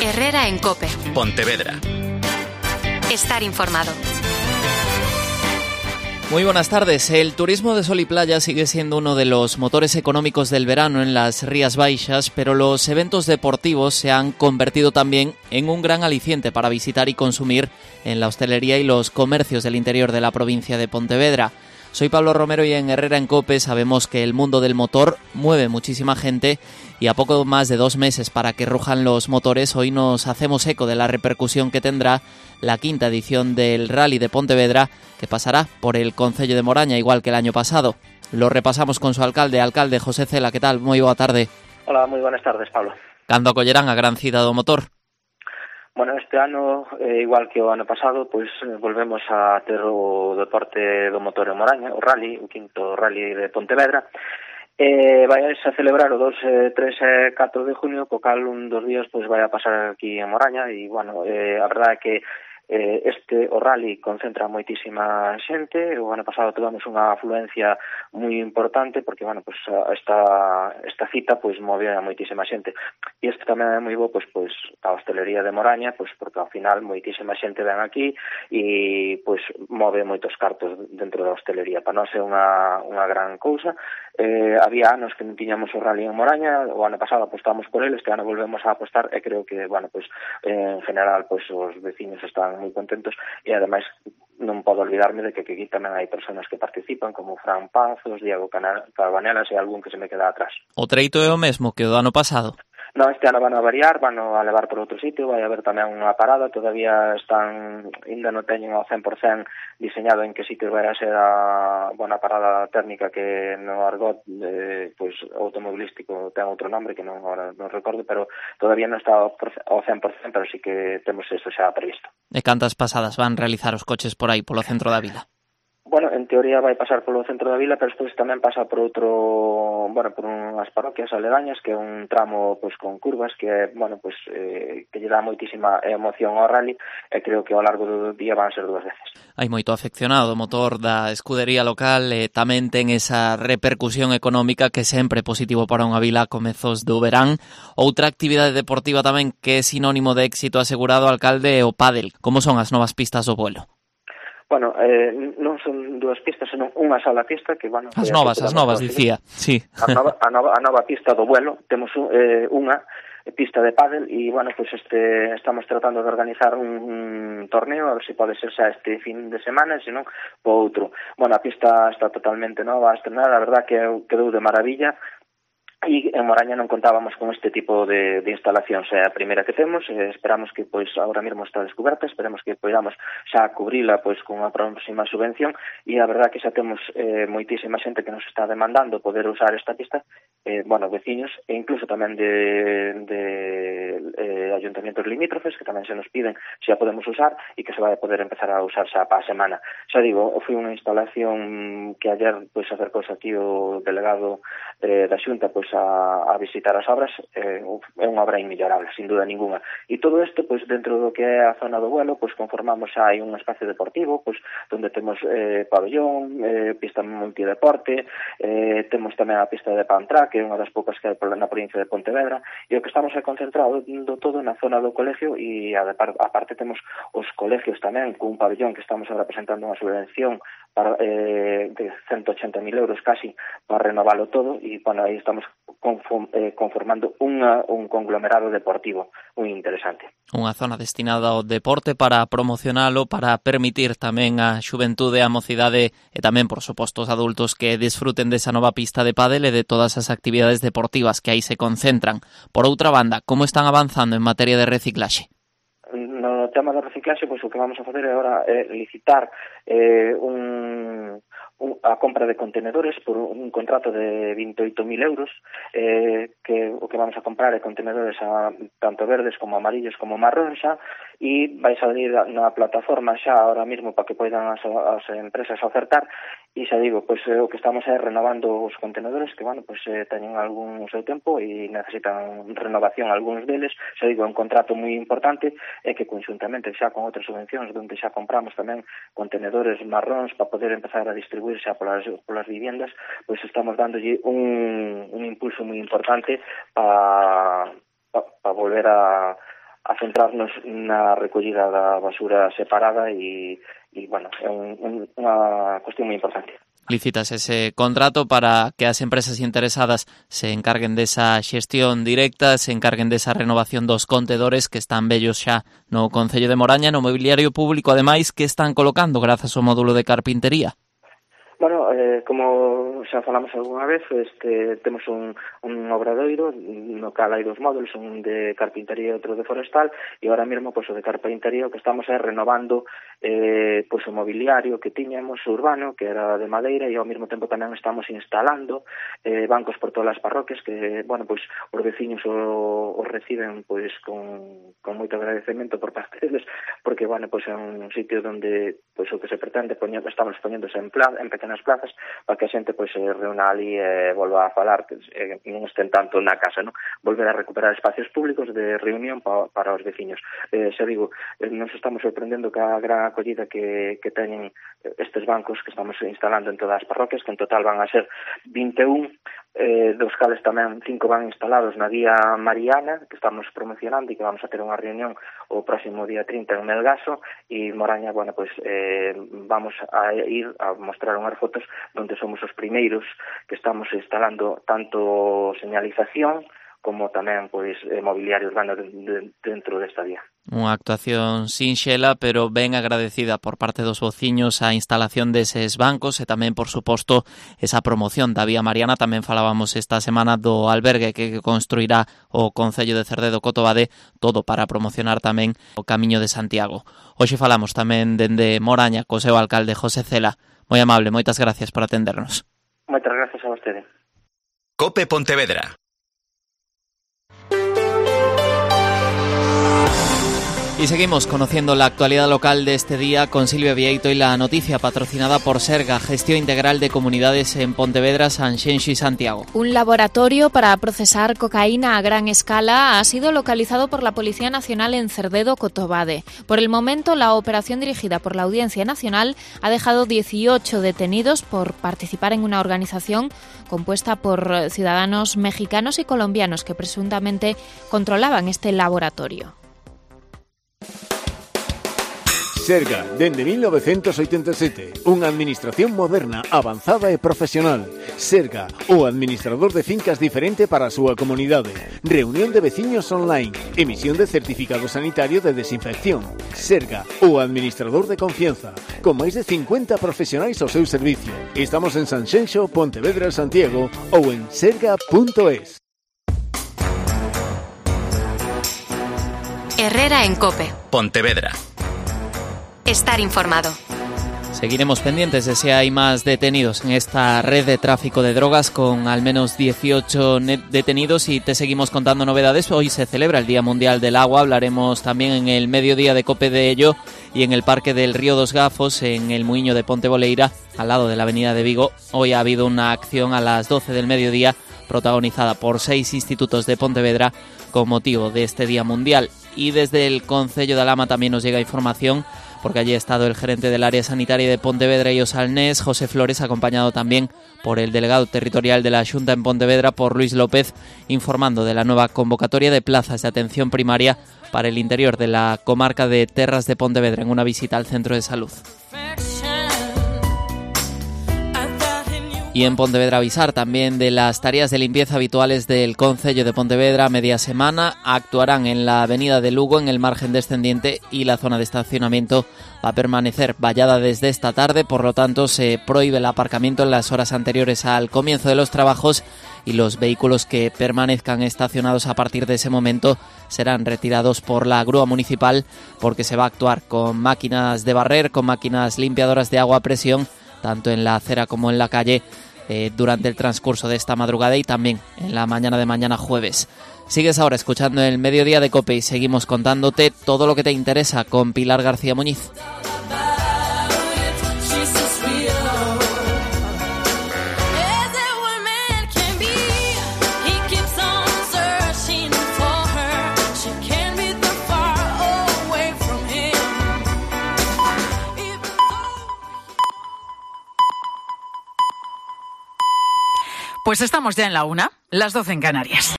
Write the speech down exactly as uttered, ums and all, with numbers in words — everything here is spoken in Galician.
Herrera en COPE. Pontevedra. Estar informado. Muy buenas tardes. El turismo de sol y playa sigue siendo uno de los motores económicos del verano en las Rías Baixas, pero los eventos deportivos se han convertido también en un gran aliciente para visitar y consumir en la hostelería y los comercios del interior de la provincia de Pontevedra. Soy Pablo Romero y en Herrera en COPE sabemos que el mundo del motor mueve muchísima gente y a poco más de dos meses para que rujan los motores, hoy nos hacemos eco de la repercusión que tendrá la quinta edición del Rally de Pontevedra, que pasará por el concello de Moraña, igual que el año pasado. Lo repasamos con su alcalde, alcalde José Cela. ¿Qué tal? Moi boa tarde. Hola, moi buenas tardes, Pablo. Cando acollerán a gran cita do motor? Bueno, este ano, eh, igual que o ano pasado, pois eh, volvemos a ter o deporte do motor en Moraña, o Rally, o quinto Rally de Pontevedra. Eh, vai a celebrar o dos, tres e catro de junio, co cal un dos días pois vai a pasar aquí en Moraña e, bueno, eh, a verdade é que eh, este o Rally concentra moitísima xente. O ano pasado tivemos unha afluencia moi importante porque, bueno, pues esta esta cita pois move a moitísima xente. E isto tamén é moi bo pois pois a hostelería de Moraña, pois porque ao final moitísima xente ven aquí e pois move moitos cartos dentro da hostelería. Para nós é unha unha gran cousa. Eh, había anos que non tiñamos o Rally en Moraña, o ano pasado apostamos por ele, este ano volvemos a apostar e creo que, bueno, pois eh, en general pois os veciños están moi contentos e ademais non podo olvidarme de que aquí tamén hai persoas que participan como Fran Pazos, Diego Carbanelas e algún que se me queda atrás. O treito é o mesmo que o do ano pasado? No, este ano van a variar, van a levar por outro sitio, vai haber tamén unha parada, todavía están, ainda non teñen ao cen por cen diseñado en que sitio vai a ser a buena parada técnica que no argot eh, pois automobilístico ten outro nombre que non agora non recordo, pero todavía non está ao cen por cen, pero sí que temos eso xa previsto. E cantas pasadas van realizar os coches por aí, polo centro da vila? Bueno, en teoría vai pasar polo centro da vila, pero despois tamén pasa por outro, bueno, por unhas parroquias aledañas, que é un tramo pois con curvas que, bueno, pois eh, que lle dá moitísima emoción ao rally e creo que ao largo do día van ser dúas veces. Hai moito afeccionado o motor da escudería local e tamén ten esa repercusión económica que sempre é positivo para unha vila a comezos do verán. Outra actividade deportiva tamén que é sinónimo de éxito asegurado, alcalde, é o pádel. Como son as novas pistas do vuelo? Bueno, eh, non son dúas pistas, senón unha sola pista que, bueno... As novas, as novas, dicía, sí. A nova, a nova, a nova pista do vuelo, temos eh, unha pista de pádel e, bueno, pues este estamos tratando de organizar un, un torneo, a ver se si pode ser xa este fin de semana, senón po outro. Bueno, a pista está totalmente nova, estrenada, a verdad que quedou de maravilla. E en Moraña non contábamos con este tipo de, de instalacións, é a primeira que temos, e esperamos que pois agora mesmo está descoberta, esperemos que podamos xa cubrila pois con a próxima subvención e a verdad que xa temos eh, moitísima xente que nos está demandando poder usar esta pista, eh, bueno, veciños e incluso tamén de, de eh, ayuntamientos limítrofes que tamén se nos piden se a podemos usar e que se vai a poder empezar a usar xa para a semana. Xa digo, foi unha instalación que ayer pois acercouse aquí o delegado eh, da Xunta pois A, a visitar as obras, eh, é unha obra inmellorable, sin duda ninguna. E todo isto, pois, dentro do que é a zona do vuelo, pois, conformamos xa hai un espacio deportivo, pois, onde temos eh, pabellón, eh, pista multideporte, eh, temos tamén a pista de Pantrá, que é unha das poucas que hai na provincia de Pontevedra, e o que estamos é concentrado do todo na zona do colegio, e a, a parte temos os colegios tamén, cun pabellón que estamos agora presentando unha subvención para, eh, de ciento ochenta mil euros casi, para renovalo todo, e, bueno, aí estamos conformando unha, un conglomerado deportivo moi interesante. Unha zona destinada ao deporte para promocionalo, para permitir tamén a xuventude, a mocidade e tamén, por suposto, os adultos que desfruten desa nova pista de pádel e de todas as actividades deportivas que aí se concentran. Por outra banda, como están avanzando en materia de reciclaxe? No tema da reciclaxe, pois o que vamos a facer agora é licitar eh, un... a compra de contenedores por un contrato de vinte e oito mil euros, eh, que o que vamos a comprar é contenedores a, tanto verdes como amarillos como marrón xa, e vai salir na plataforma xa ahora mismo para que poidan as, as empresas ofertar, e xa digo, pois o que estamos é renovando os contenedores que, bueno, pois eh, teñen algún seu tempo e necesitan renovación algúns deles, xa digo, é un contrato moi importante e que conxuntamente xa con outras subvencións onde xa compramos tamén contenedores marróns para poder empezar a distribuir xa polas, polas viviendas, pois estamos dándolle un, un impulso moi importante para pa, pa volver a a centrarnos na recollida da basura separada e, e bueno, é un, un, unha cuestión moi importante. Licitas ese contrato para que as empresas interesadas se encarguen desa xestión directa, se encarguen desa renovación dos contedores que están vellos xa no Concello de Moraña, no mobiliario público, ademais, que están colocando grazas ao módulo de carpintería. Bueno, eh, como xa falamos algunha vez, este, temos un, un obradoiro no cal hai dos módulos, un de carpintería e outro de forestal, e ahora mesmo pois, o de carpintería o que estamos é renovando eh, pois, o mobiliario que tiñamos urbano, que era de madeira, e ao mesmo tempo tamén estamos instalando eh, bancos por todas as parroquias que, bueno, pois os veciños o, o reciben pois con, con moito agradecemento por parte deles, porque, bueno, pois é un sitio onde pois o que se pretende poñer, estamos poñéndose en, plan, en pequenas nas plazas para que a xente pois se reúna ali e volva a falar, que eh, non estén tanto na casa, non? Volver a recuperar espacios públicos de reunión pa, para os veciños. Eh, xa digo, eh, nos estamos sorprendendo ca gran acollida que, que teñen estes bancos que estamos instalando en todas as parroquias, que en total van a ser vinte e un, eh, dos cales tamén cinco van instalados na Vía Mariana, que estamos promocionando e que vamos a ter unha reunión o próximo día trinta en Melgaso, e Moraña, bueno, pois eh, vamos a ir a mostrar unhas fotos onde somos os primeiros que estamos instalando tanto señalización como tamén pois mobiliario urbano dentro desta vía. Unha actuación sinxela, pero ben agradecida por parte dos vociños a instalación deses bancos e tamén, por suposto, esa promoción da Vía Mariana. Tamén falábamos esta semana do albergue que construirá o Concello de Cerdedo-Cotobade, todo para promocionar tamén o Camiño de Santiago. Hoxe falamos tamén dende Moraña co seu alcalde José Cela. Moi amable, moitas gracias por atendernos. Moitas gracias a vostede. Cope Pontevedra. Y seguimos conociendo la actualidad local de este día con Silvia Vieito y la noticia patrocinada por Serga, Gestión Integral de Comunidades en Pontevedra, Sanxenxo y Santiago. Un laboratorio para procesar cocaína a gran escala ha sido localizado por la Policía Nacional en Cerdedo-Cotobade. Por el momento, la operación dirigida por la Audiencia Nacional ha dejado dieciocho detenidos por participar en una organización compuesta por ciudadanos mexicanos y colombianos que presuntamente controlaban este laboratorio. Serga, dende mil novecientos oitenta e sete, unha administración moderna, avanzada e profesional. Serga, o administrador de fincas diferente para a súa comunidade. Reunión de veciños online, emisión de certificado sanitario de desinfección. Serga, o administrador de confianza, con máis de cincuenta profesionais ao seu servicio. Estamos en Sanxenxo, Pontevedra, Santiago ou en serga punto es. Herrera en Cope. Pontevedra. Estar informado. Seguiremos pendientes de si hay más detenidos en esta red de tráfico de drogas con al menos dieciocho detenidos y te seguimos contando novedades. Hoy se celebra el Día Mundial del Agua, hablaremos también en el mediodía de Cope de ello y en el Parque del Río dos Gafos, en el Muiño de Ponteboleira, al lado de la Avenida de Vigo. Hoy ha habido una acción a las doce del mediodía protagonizada por seis institutos de Pontevedra con motivo de este Día Mundial. Y desde el Concello de Alhama también nos llega información, porque allí ha estado el gerente del área sanitaria de Pontevedra y Osalnés, José Flores, acompañado también por el delegado territorial de la Xunta en Pontevedra, por Luis López, informando de la nueva convocatoria de plazas de atención primaria para el interior de la comarca de Terras de Pontevedra en una visita al centro de salud. Y en Pontevedra avisar también de las tareas de limpieza habituales del Concello de Pontevedra. Media semana actuarán en la avenida de Lugo, en el margen descendiente, y la zona de estacionamiento va a permanecer vallada desde esta tarde. Por lo tanto, se prohíbe el aparcamiento en las horas anteriores al comienzo de los trabajos y los vehículos que permanezcan estacionados a partir de ese momento serán retirados por la grúa municipal, porque se va a actuar con máquinas de barrer, con máquinas limpiadoras de agua a presión, tanto en la acera como en la calle, eh, durante el transcurso de esta madrugada y también en la mañana de mañana jueves. Sigues ahora escuchando el Mediodía de Cope y seguimos contándote todo lo que te interesa con Pilar García Muñiz. Pues estamos ya en la una, las doce en Canarias.